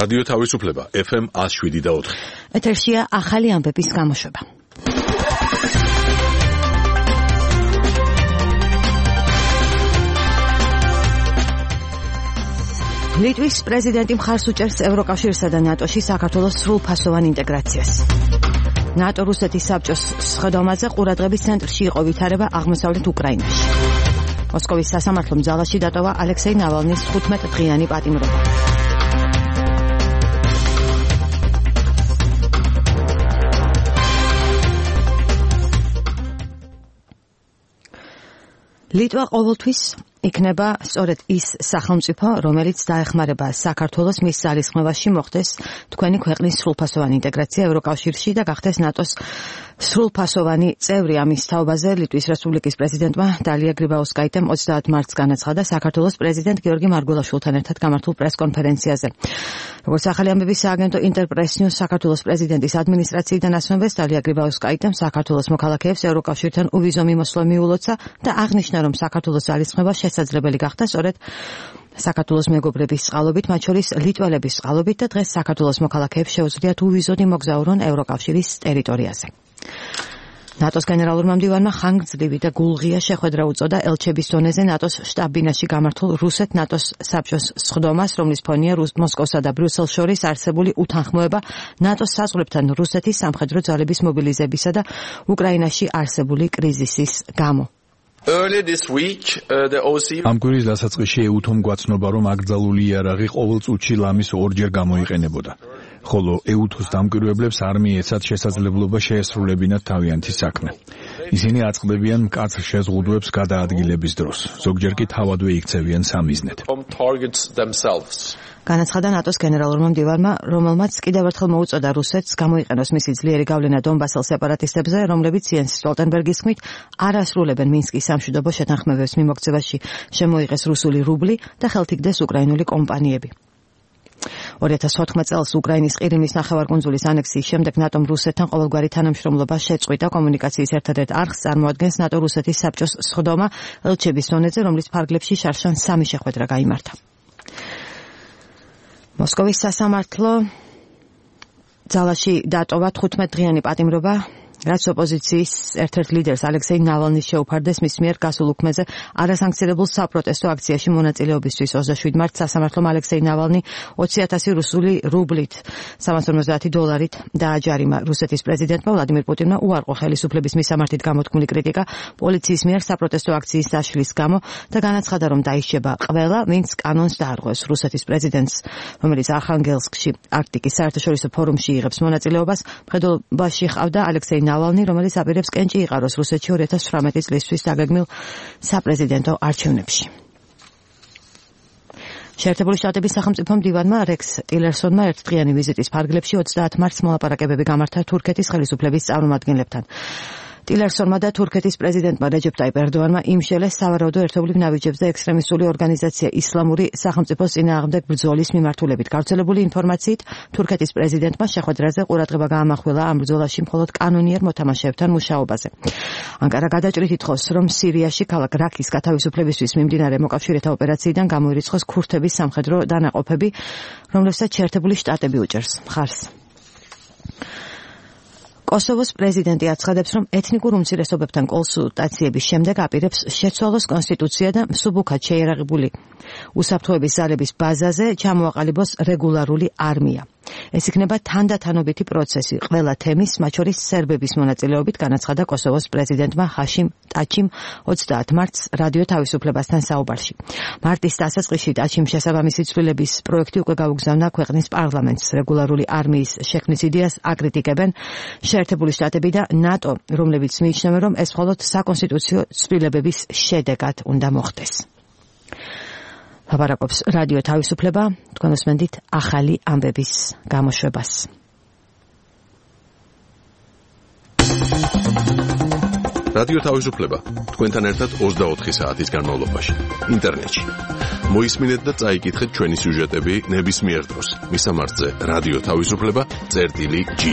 რადიო თავისუფლება FM 107.4. ეთერშია ახალი ამბების გამოშვება. ლიტვის პრეზიდენტი მხარს უჭერს ევროკავშირსა და ნატოში საქართველოს სრულფასოვან ინტეგრაციას. ნატო რუსეთის საბჭოს სხდომაზე ყურადღების ცენტრში იყო ვითარება აღმოსავლეთ უკრაინაში. მოსკოვის სასამართლომ ძალაში დატოვა ალექსეი ნავალნის 15 დღიანი პატიმრობა. ლიტვა ყოველთვის იქნება სწორედ ის სახელმწიფო, რომელიც დაეხმარება საქართველოს მის ძალისხმევაში მოხდეს თქვენი ქვეყნის სრულფასოვანი ინტეგრაცია ევროკავშირში და გახდეს ნატოს სრულფასოვანი წევრი. ამის თაობაზე ლიტვის რესპუბლიკის პრეზიდენტმა დალია გრიბაუსკაიტემ 30 მარტს განაცხადა საქართველოს პრეზიდენტ გიორგი მარგველაშვილთან ერთად გამართულ პრესკონფერენციაზე. როგორც ახალი ამბების სააგენტო ინტერპრეს ნიუს საქართველოს პრეზიდენტის ადმინისტრაციიდან ასმევეს, დალია გრიბაუსკაიტემ საქართველოს მოქალაქეებს ევროკავშირთან უვიზო მიმოსვლა მიულოცა და აღნიშნა, რომ საქართველოს ძალისხმევა შესაძლებელი გახდა სწორედ საქართველოს მეგობრების წყალობით, მათ შორის ლიტველების წყალობით და დღეს საქართველოს მოქალაქეებს შეუძლიათ უვიზოდ მოგზაურონ ევროკავშირის ტერიტორიაზე. ნატოს გენერალურმა მდივანმა ხანგრძლივი და გულღია შეხვედრა უწოდა ელჩების დონეზე ნატოს შტაბ-ბინაში გამართულ რუსეთ-ნატოს საბჭოს სხდომას, რომლის ფონია მოსკოვსა და ბრიუსელს შორის არსებული უთანხმოება ნატოს საზღვრებთან რუსეთის სამხედრო ძალების მობილიზებისა და უკრაინაში არსებული კრიზისის გამო. ამ კვირის დასაწყისში ეუთომ გვაცნობა, რომ აკრძალული იარაღი ყოველ წუთში ლამის ორჯერ გამოიყენებოდა. ხოლო ეუთოს დამკვირვებლებს არ მიეცათ შესაძლებლობა შეესრულებინათ თავიანთი საქმე. ისინი აწყდებიან მკაცრ შეზღუდვებს გადაადგილების დროს, ზოგჯერ კი თავადვე იქცევიან სამიზნედ. განაცხადა ნატოს გენერალურმა მდივანმა, რომელმაც კიდევ ერთხელ მოუწოდა რუსეთს გამოიყენოს მისი ძლიერი გავლენა დონბასელ სეპარატისტებზე, რომლებიც იენს სტოლტენბერგის თქმით არ ასრულებენ მინსკის სამშვიდობო შეთანხმებების მიმოქცევაში შემოიღეს რუსული რუბლი და ხელთიგდეს უკრაინული კომპანიები. 2014 წელს უკრაინის ყირიმის ნახევარკუნძულის ანექსიის შემდეგ ნატომ რუსეთთან ყოველგვარი თანამშრომლობა შეწყვიტა. კომუნიკაციის ერთადერთ არხს წარმოადგენს ნატო-რუსეთის საბჭოს სხდომა ელჩების დონეზე, რომლის ფარგლებში შარშან 3 შეხვედრა გაიმართა. მოსკოვის სასამართლო ძალაში დატოვა 15 დღიანი პატიმრობა, რაც ოპოზიციის ერთ-ერთ ლიდერს ალექსეი ნავალნის შეუფარდეს მის მიერ გასულ უქმეზე არასანქციონებულ საპროტესტო აქციაში მონაწილეობისთვის. 27 მარტს სასამართლომ ალექსეი ნავალნი 20,000 რუსული რუბლით $350 დააჯარიმა. რუსეთის პრეზიდენტმა ვლადიმირ პუტინმა უარყო ხელისუფლების მისამართით გამოთქმული κρიტიკა პოლიციის მიერ საპროტესტო აქციის დაშლის გამო და განაცხადა, რომ დაიშჩება ყველა, ვინც კანონს დაარღვევს. რუსეთის პრეზიდენტს, რომელიც არხანგელსკში არქტიკის საერთაშორისო ფორუმში იღებს მონაწილეობას, მხედველობაში ჰყავდა ალექსეი ნავალნი, რომელიც აპირებს კენჭი იყაროს რუსეთში 2018 წლისთვის დაგეგმილ საპრეზიდენტო არჩევნებში. შეერთებული შტატების სახელმწიფო მდივანმა რექს ტილერსონმა ერთდღიანი ვიზიტის ფარგლებში 30 მარტს მოლაპარაკებები გამართა თურქეთის ხელისუფლების წარმომადგენლებთან. ტილერსონმა და თურქეთის პრეზიდენტმა რეჯეპ ტაიპ ერდოანმა იმშელეს სავარაუდო ერთობლივ ნაბიჯებს და ექსტრემისტული ორგანიზაცია ისლამური სახელმწიფოს წინააღმდეგ ბრძოლის მიმართულებით. გავრცელებული ინფორმაციით, თურქეთის პრეზიდენტმა შეხვედრაზე ყურადღება გაამახვილა ამ ბრძოლაში მხოლოდ კანონიერ მოთამაშეებთან მუშაობაზე. ანკარა გადაჭრით ითხოვს, რომ სირიაში ქალაქ რაქის გათავისუფლებისთვის მიმდინარე მოკავშირეთა ოპერაციიდან გამოირიცხოს ქურთების სამხედრო დანაყოფები, რომლებსაც შეერთებული შტატები უჭერს მხარს. კოსოვოს პრეზიდენტი აცხადებს, რომ ეთნიკურ უმცირესობებთან კონსულტაციების შემდეგ აპირებს შეცვალოს კონსტიტუცია და მსუბუქად შეიარაღებული უსაფრთხოების ძალების ბაზაზე ჩამოაყალიბოს რეგულარული არმია. ეს იქნება თანდათანობითი პროცესი ყველა თემის, მათ შორის სერბების მონაწილეობით, განაცხადა კოსოვოს პრეზიდენტმა ჰაშიმ ტაჩიმ 30 მარტს რადიო თავისუფლებასთან საუბარში. მარტის დასაწყისში ტაჩიმ შესაბამისი ცვლილების პროექტი უკვე გაუგზავნა ქვეყნის პარლამენტს. რეგულარული არმიის შექმნის იდეას აკრიტიკებენ შეერთებული შტატები და ნატო, რომლებიც მიიჩნევენ, რომ ეს მხოლოდ საკონსტიტუციო ცვლილებების შედეგად უნდა მოხდეს. ლაპარაკობს რადიო თავისუფლება, თქვენ უსმენთ ახალი ამბების გამოშვებას. რადიო თავისუფლება თქვენთან ერთად 24 საათის განმავლობაში ინტერნეტში. მოისმინეთ და წაიკითხეთ ჩვენი სიუჟეტები ნებისმიერ დროს. მისამართზე რადიო თავისუფლება წერტილი G.